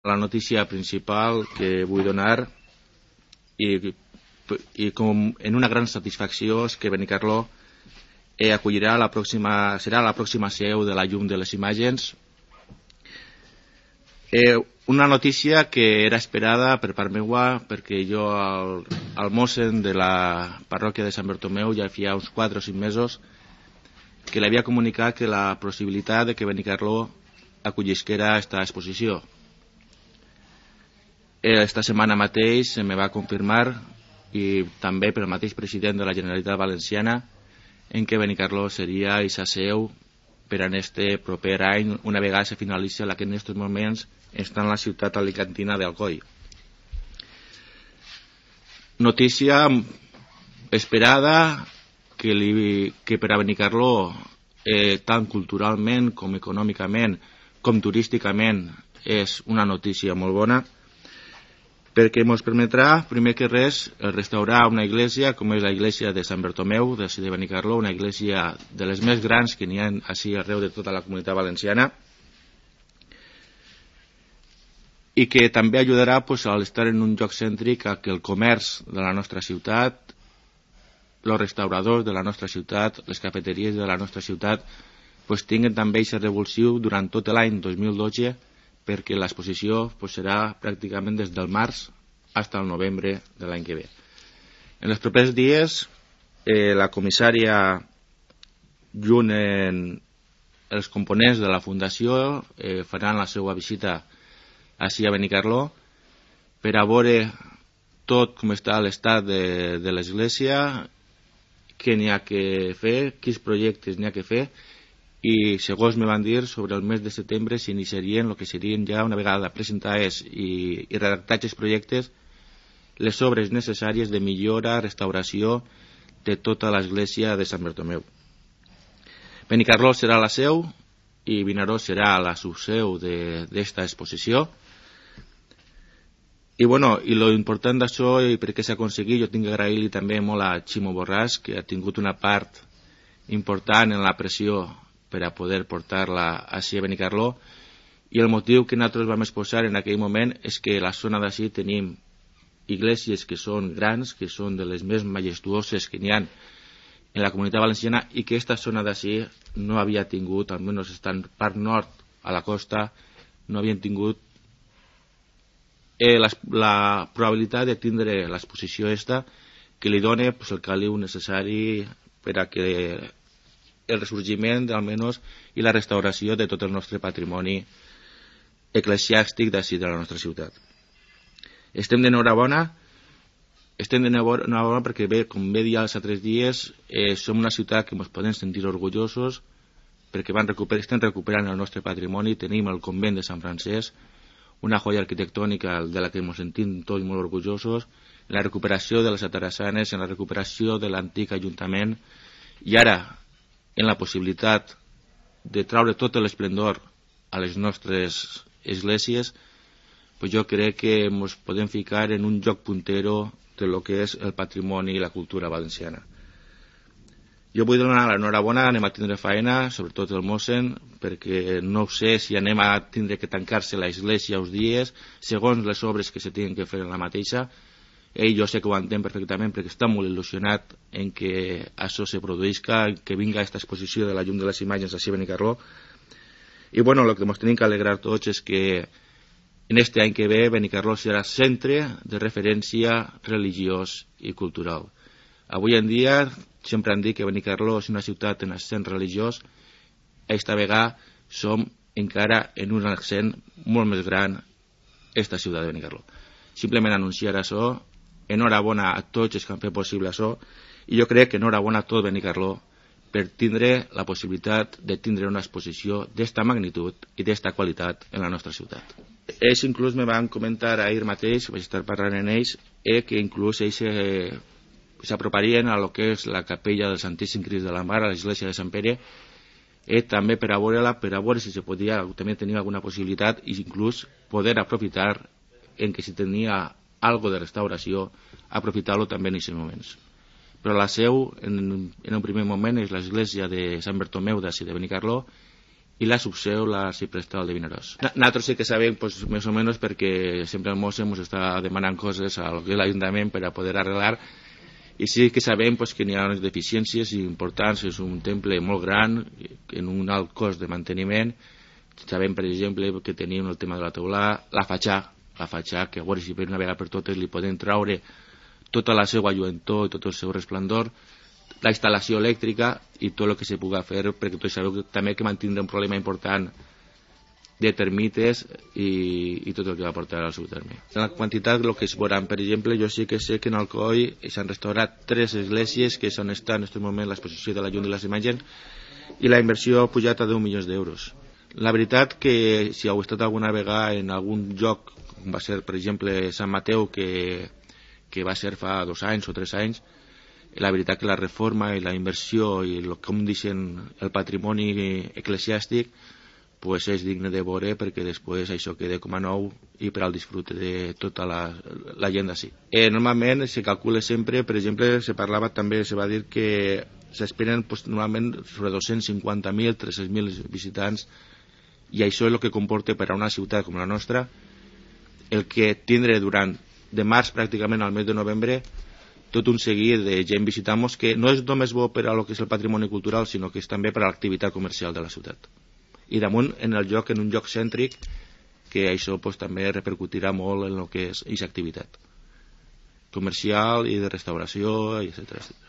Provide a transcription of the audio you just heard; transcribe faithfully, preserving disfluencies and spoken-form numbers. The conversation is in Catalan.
la notícia principal que vull donar i, i com en una gran satisfacció és que Benicarló eh, acollirà la pròxima, serà la pròxima seu de la Llum de les Imatges. Eh, una notícia que era esperada per part meua perquè jo al, al mossen de la parròquia de Sant Bartomeu ja feia uns quatre o cinc mesos que l'havia comunicat que la possibilitat de que Benicarló acollisquera esta exposició. Esta setmana mateix se me va confirmar i també pel mateix president de la Generalitat Valenciana en què Benicarló seria eixa seu per en este proper any una vegada se finalitza la que en aquests moments està en la ciutat alicantina d'Alcoi. Notícia esperada que, li, que per a Benicarló eh, tant culturalment com econòmicament com turísticament és una notícia molt bona perquè ens permetrà, primer que res, restaurar una església com és la església de Sant Bartomeu, de Benicarló, una església de les més grans que n'hi ha així arreu de tota la comunitat valenciana i que també ajudarà pues, a estar en un lloc cèntric a que el comerç de la nostra ciutat, els restauradors de la nostra ciutat, les cafeteries de la nostra ciutat pues, tinguin també aquest revulsiu durant tot l'any dos mil dotze perquè l'exposició pues, serà pràcticament des del març fins al novembre de l'any que ve. En els propers dies, eh, la comissària, junt amb els components de la Fundació, eh, faran la seva visita així a Benicarló per a veure tot com està l'estat de, de l'església, què n'hi ha que fer, quins projectes n'hi ha que fer, i segons me van dir sobre el mes de setembre s'iniciarien el que serien ja una vegada presentades i, i redactats els projectes les obres necessàries de millora, restauració de tota l'església de Sant Bartomeu. Benicarló serà la seu i Vinaròs serà la subseu d'esta exposició i bueno, i lo important d'això i per què s'ha aconseguit, jo tinc que agrair-li també molt a Ximo Borràs que ha tingut una part important en la pressió per a poder portar-la així a Benicarló i el motiu que nosaltres vam exposar en aquell moment és que a la zona d'ací tenim iglesias que són grans, que són de les més majestuoses que n'hi ha en la comunitat valenciana i que aquesta zona d'ací no havia tingut, almenys estant part nord a la costa, no havien tingut eh, la, la probabilitat de tindre l'exposició esta que li dona pues, el caliu necessari per a que el ressorgiment almenys i la restauració de tot el nostre patrimoni eclesiàstic d'ací de la nostra ciutat. Estem d'enhorabona, estem d'enhorabona perquè bé, com bé dir els altres dies, eh, som una ciutat que ens podem sentir orgullosos perquè van recuperar, estem recuperant el nostre patrimoni, tenim el convent de Sant Francesc, una joia arquitectònica de la que ens sentim tots molt orgullosos, en la recuperació de les atarassanes, en la recuperació de l'antic ajuntament i ara en la possibilitat de traure tot l'esplendor a les nostres esglésies, pues jo crec que ens podem ficar en un lloc puntero de lo que és el patrimoni i la cultura valenciana. Jo vull donar l'enhorabona, anem a tindre faena, sobretot el mossen, perquè no sé si anem a tindre que tancar-se l'església uns dies, segons les obres que se tinguin que fer en la mateixa. Ell jo sé que ho entén perfectament perquè està molt il·lusionat en que això se produïsca, que vinga aquesta exposició de la Llum de les Imatges així a Benicarló. I bueno, el que ens tenim que alegrar tots és que en este any que ve Benicarló serà centre de referència religiós i cultural. Avui en dia sempre han dit que Benicarló és una ciutat en accent religiós, esta vegada som encara en un accent molt més gran esta ciutat de Benicarló. Simplement anunciar això, enhorabona a tots els que han fet possible això i jo crec que enhorabona a tot Benicarló per tindre la possibilitat de tindre una exposició d'esta magnitud i d'esta qualitat en la nostra ciutat. Ells inclús me van comentar ahir mateix, vaig estar parlant amb ells, eh, que inclús ells eh, s'aproparien a lo que és la capella del Santíssim Crist de la Mar, a l'església de Sant Pere, eh, també per a veure-la, per a veure si se podia, també tenia alguna possibilitat i inclús poder aprofitar en que si tenia algo de restauració, aprofitar-lo també en aquests moments. Però la seu, en, en un primer moment, és l'església de Sant Bartomeu d'ací de Benicarló i la subseu, l'arxiprestal de Vinaròs. Nosaltres sí que sabem, pues, més o menys, perquè sempre el Mosse ens està demanant coses a l'Ajuntament per a poder arreglar, i sí que sabem pues, que n'hi ha unes deficiències importants, és un temple molt gran, en un alt cost de manteniment. Sabem, per exemple, que tenim el tema de la teulada, la fatxà, la fatxà, que a veure si per una vegada per totes li podem traure tota la seva lluentor i tot el seu resplendor, la instal·lació elèctrica i tot el que se pugui fer, perquè tots sabeu que també que mantindrà un problema important de termites i, i tot el que va portar al seu terme. En la quantitat, el que es veuran, per exemple, jo sí que sé que en Alcoi s'han restaurat tres esglésies que s'han estat en aquest moment l'exposició de la llum i les imatges i la inversió ha pujat a deu milions d'euros. La veritat que si heu estat alguna vegada en algun lloc, com va ser per exemple Sant Mateu, que, que va ser fa dos anys o tres anys, la veritat que la reforma i la inversió i el, com deixen el patrimoni eclesiàstic pues és digne de veure perquè després això queda com a nou i per al disfrute de tota la, la gent d'ací. Eh, normalment se calcula sempre, per exemple, se parlava també, se va dir que s'esperen pues, normalment sobre dos-cents cinquanta mil, tres-cents mil visitants i això és el que comporta per a una ciutat com la nostra el que tindre durant de març pràcticament al mes de novembre tot un seguit de gent visitant-nos que no és només bo per a lo que és el patrimoni cultural sinó que és també per a l'activitat comercial de la ciutat. I damunt en el lloc, en un lloc cèntric que això pues, també repercutirà molt en el que és aquesta activitat comercial i de restauració, etcètera etcètera.